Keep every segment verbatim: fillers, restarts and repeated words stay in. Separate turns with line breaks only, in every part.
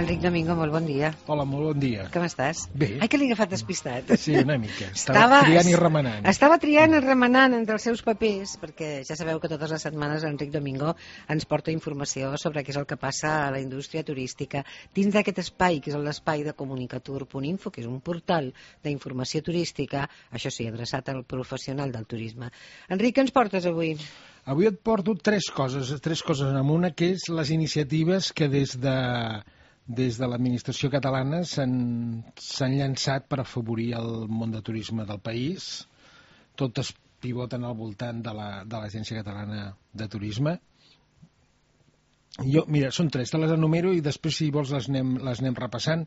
Enric Domingo, molt bon dia.
Hola, molt bon dia.
Com estàs?
Bé.
Ai, que l'he agafat despistat.
Sí, una mica. Estava, estava triant i remenant.
Estava triant i remenant entre els seus papers, perquè ja sabeu que totes les setmanes Enric Domingo ens porta informació sobre què és el que passa a la indústria turística dins d'aquest espai, que és l'espai de comunicatur punt info, que és un portal d'informació turística, això sí, adreçat al professional del turisme. Enric, què ens portes avui?
Avui et porto tres coses, tres coses en una, que és les iniciatives que des de... des de l'administració catalana s'han llançat per afavorir el món de turisme del país. Totes pivoten al voltant de l'Agència Catalana de Turisme. Jo, mira, són tres, te les enumero i després, si vols, les anem, les anem repassant.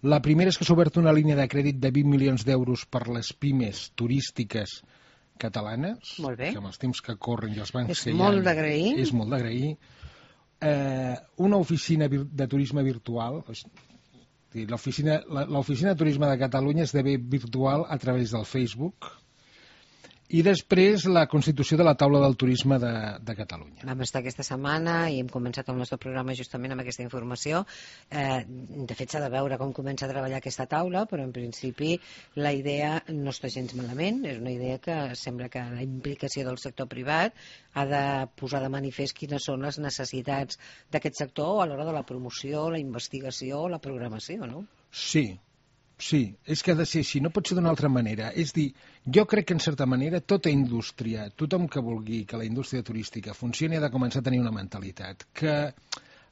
La primera és que s'ha obert una línia de crèdit de vint milions d'euros per les pimes turístiques catalanes.
Molt bé.
Que amb els temps que corren i els bancs
és
que hi ha...
Molt d'agrair.
És molt d'agrair. Eh, una oficina de turisme virtual, l'oficina l'oficina de turisme de Catalunya esdevé virtual a través del Facebook, i després la constitució de la taula del turisme de, de Catalunya.
Vam estar aquesta setmana i hem començat el nostre programa justament amb aquesta informació. Eh, de fet, s'ha de veure com comença a treballar aquesta taula, però en principi la idea no està gens malament. És una idea que sembla que la implicació del sector privat ha de posar de manifest quines són les necessitats d'aquest sector a l'hora de la promoció, la investigació, la programació, no?
Sí. Sí, és que ha de ser així, no pot ser d'una altra manera. És dir, jo crec que en certa manera tota indústria, tothom que vulgui que la indústria turística funcioni ha de començar a tenir una mentalitat, que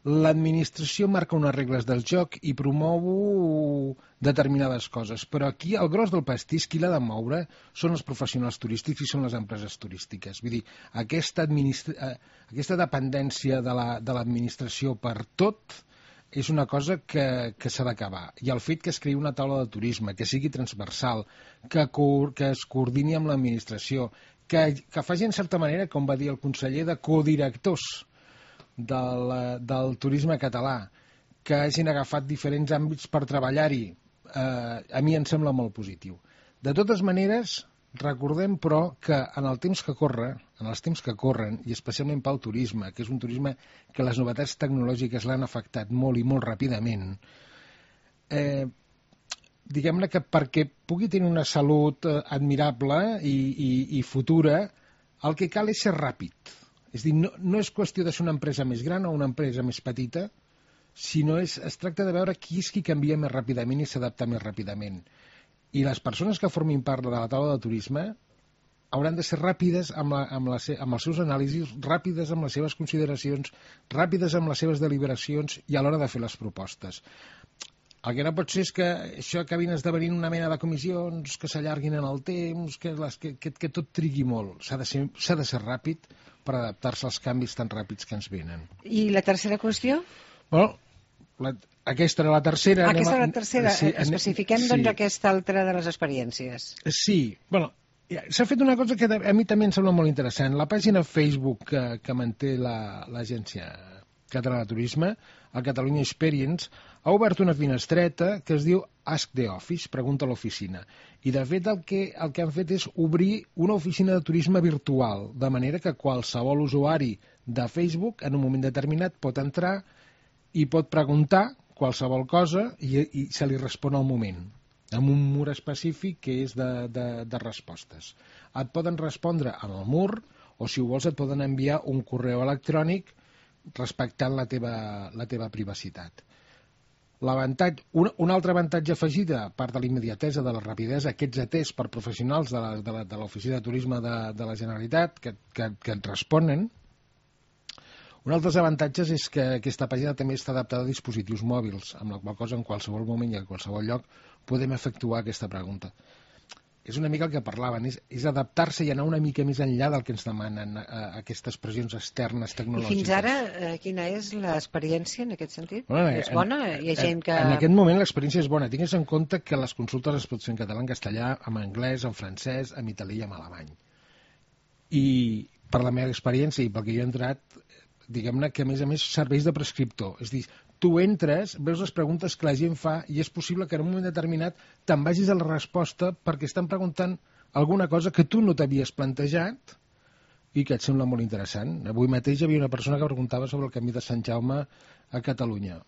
l'administració marca unes regles del joc i promou determinades coses, però aquí el gros del pastís, qui l'ha de moure, són els professionals turístics i són les empreses turístiques. Vull dir, aquesta, administra... aquesta dependència de l'administració per tot és una cosa que, que s'ha d'acabar. I el fet que es creï una taula de turisme, que sigui transversal, que, que es coordini amb l'administració, que, que faci en certa manera, com va dir el conseller, de codirectors del, del turisme català, que hagin agafat diferents àmbits per treballar-hi, eh, a mi em sembla molt positiu. De totes maneres, recordem, però, que en el temps que corre, en els temps que corren, i especialment pel turisme, que és un turisme que les novetats tecnològiques l'han afectat molt i molt ràpidament, eh, diguem-ne que perquè pugui tenir una salut admirable i, i, i futura, el que cal és ser ràpid. És dir, no, no és qüestió de ser una empresa més gran o una empresa més petita, sinó és, es tracta de veure qui és qui canvia més ràpidament i s'adapta més ràpidament. I les persones que formin part de la taula de turisme hauran de ser ràpides amb, la, amb, la, amb els seus anàlisis, ràpides amb les seves consideracions, ràpides amb les seves deliberacions i a l'hora de fer les propostes. El que no pot ser és que això acabin esdevenint una mena de comissions que s'allarguin en el temps, que, les, que, que, que tot trigui molt. S'ha de ser, s'ha de ser ràpid per adaptar-se als canvis tan ràpids que ens venen.
I la tercera qüestió?
Bueno, la, aquesta era la tercera.
Ah, aquesta era la tercera.
Sí,
especifiquem, doncs, sí. Aquesta altra de les experiències.
Sí, bueno, s'ha fet una cosa que a mi també em sembla molt interessant. La pàgina Facebook que, que manté l'Agència la, Catalana de Turisme, el Catalunya Experience, ha obert una finestreta que es diu Ask the Office, pregunta a l'oficina. I, de fet, el que, el que han fet és obrir una oficina de turisme virtual, de manera que qualsevol usuari de Facebook, en un moment determinat, pot entrar i pot preguntar qualsevol cosa i, i se li respon al moment, amb un mur específic que és de, de, de respostes. Et poden respondre en el mur o, si ho vols, et poden enviar un correu electrònic respectant la teva, la teva privacitat. Un, un altre avantatge afegit, a part de la immediatesa, de la rapidesa, que ets atès per professionals de l'Oficina de Turisme de, de la Generalitat que, que, que et responen. Un altre avantatge és que aquesta pàgina també està adaptada a dispositius mòbils, amb la qual cosa en qualsevol moment i en qualsevol lloc podem efectuar aquesta pregunta. És una mica el que parlaven, és, és adaptar-se i anar una mica més enllà del que ens demanen eh, aquestes pressions externes tecnològiques.
I fins ara, eh, quina és l'experiència en aquest sentit?
Bueno,
és bona? Hi ha gent que...
En aquest moment l'experiència és bona. Tingues en compte que les consultes es pot fer en català, en castellà, en anglès, en francès, en italià i en alemany. I per la meva experiència i pel que jo he entrat, diguem-ne que a més a més serveix de prescriptor. És a dir, tu entres, veus les preguntes que la gent fa i és possible que en un moment determinat te'n vagis a la resposta perquè estan preguntant alguna cosa que tu no t'havies plantejat i que et sembla molt interessant. Avui mateix hi havia una persona que preguntava sobre el camí de Sant Jaume a Catalunya.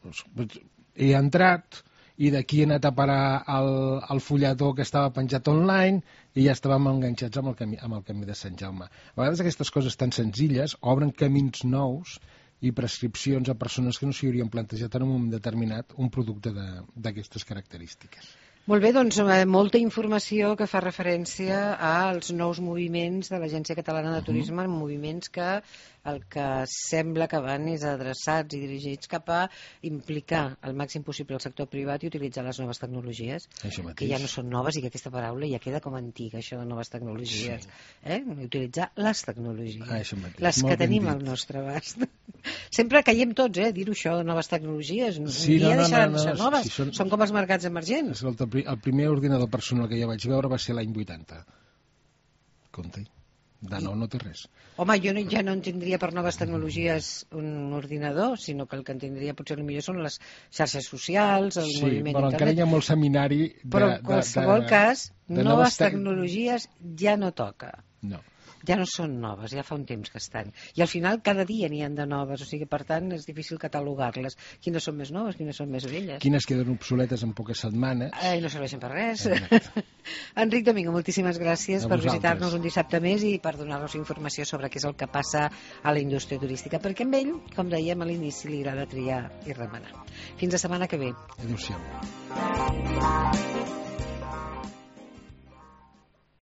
He entrat i d'aquí he anat a parar el, el fulletó que estava penjat online i ja estàvem enganxats amb el, camí, amb el camí de Sant Jaume. A vegades aquestes coses tan senzilles obren camins nous i prescripcions a persones que no s'hi haurien plantejat en un moment determinat un producte d'aquestes característiques.
Molt bé, doncs molta informació que fa referència als nous moviments de l'Agència Catalana de Turisme, uh-huh. moviments que el que sembla que van és adreçats i dirigits cap a implicar al màxim possible el sector privat i utilitzar les noves tecnologies, que ja no són noves i que aquesta paraula ja queda com antiga, això de noves tecnologies. Sí. Eh? Utilitzar les tecnologies,
ah,
les que tenim al nostre abast. Sempre caiem tots, eh, dir-ho això de noves tecnologies.
Sí,
ja
no,
deixaran
no, no,
de ser
no,
noves,
si són...
són com els mercats emergents.
Escolta, el primer ordinador personal que jo vaig veure va ser l'any vuitanta. Compte, de nou no té res.
Home, jo no, ja no en tindria per noves tecnologies un ordinador, sinó que el que en tindria potser millor són les xarxes socials, el
sí,
moviment
però
internet.
Encara hi ha molt seminari de,
però en qualsevol
de, de,
cas,
de
noves,
noves te...
tecnologies ja no toca.
No.
Ja no són noves, ja fa un temps que estan. I al final cada dia n'hi ha de noves, o sigui, per tant és difícil catalogar-les. Quines són més noves, quines són més velles.
Quines queden obsoletes en poques setmanes.
I no serveixen per res. Enric Domingo, moltíssimes gràcies
a
per
vosaltres.
visitar-nos un dissabte més i per donar-nos informació sobre què és el que passa a la indústria turística, perquè amb ell, com dèiem a l'inici, li agrada triar i remenar. Fins la setmana que ve.
Adéu-siau.